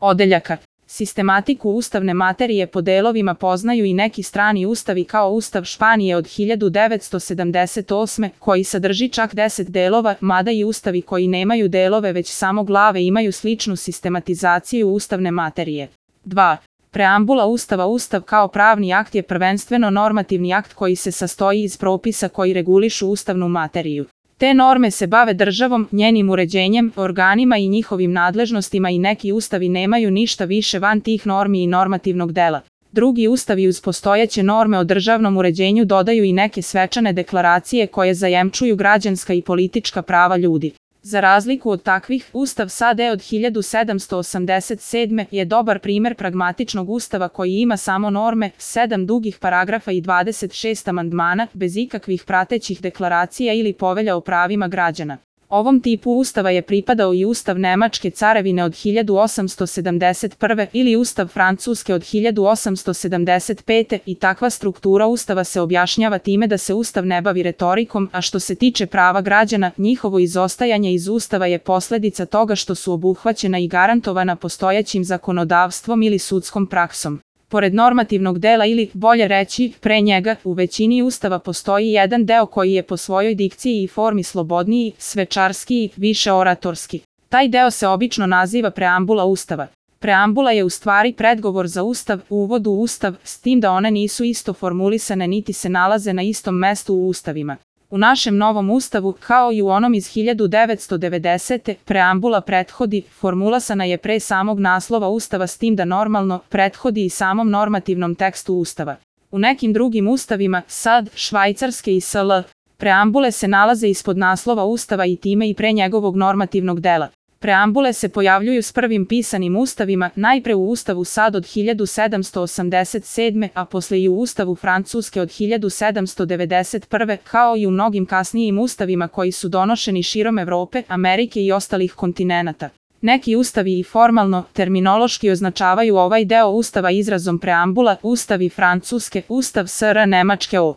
odeljaka. Sistematiku ustavne materije po delovima poznaju i neki strani ustavi kao Ustav Španije od 1978. koji sadrži čak 10 delova, mada i ustavi koji nemaju delove već samo glave imaju sličnu sistematizaciju ustavne materije. 2. Preambula Ustava. Ustav kao pravni akt je prvenstveno normativni akt koji se sastoji iz propisa koji regulišu ustavnu materiju. Te norme se bave državom, njenim uređenjem, organima i njihovim nadležnostima i neki ustavi nemaju ništa više van tih normi i normativnog dela. Drugi ustavi uz postojeće norme o državnom uređenju dodaju i neke svečane deklaracije koje zajemčuju građanska i politička prava ljudi. Za razliku od takvih, Ustav SAD od 1787. je dobar primer pragmatičnog ustava koji ima samo norme, 7 dugih paragrafa i 26 amandmana, bez ikakvih pratećih deklaracija ili povelja o pravima građana. Ovom tipu ustava je pripadao i Ustav Nemačke carevine od 1871. ili Ustav Francuske od 1875. i takva struktura ustava se objašnjava time da se ustav ne bavi retorikom, a što se tiče prava građana, njihovo izostajanje iz ustava je posledica toga što su obuhvaćena i garantovana postojećim zakonodavstvom ili sudskom praksom. Pored normativnog dela ili, bolje reći, pre njega, u većini ustava postoji jedan deo koji je po svojoj dikciji i formi slobodniji, svečarskiji, više oratorski. Taj deo se obično naziva preambula Ustava. Preambula je u stvari predgovor za Ustav, uvod u Ustav, s tim da one nisu isto formulisane niti se nalaze na istom mestu u ustavima. U našem novom ustavu, kao i u onom iz 1990. preambula prethodi, formulisana je pre samog naslova ustava s tim da normalno prethodi i samom normativnom tekstu ustava. U nekim drugim ustavima, SAD, Švajcarske i SL, preambule se nalaze ispod naslova ustava i time i pre njegovog normativnog dela. Preambule se pojavljuju s prvim pisanim ustavima, najpre u Ustavu SAD od 1787. a posle i u Ustavu Francuske od 1791. kao i u mnogim kasnijim ustavima koji su donošeni širom Evrope, Amerike i ostalih kontinenata. Neki ustavi i formalno, terminološki označavaju ovaj deo ustava izrazom preambula, Ustavi Francuske, Ustav SR Nemačke o.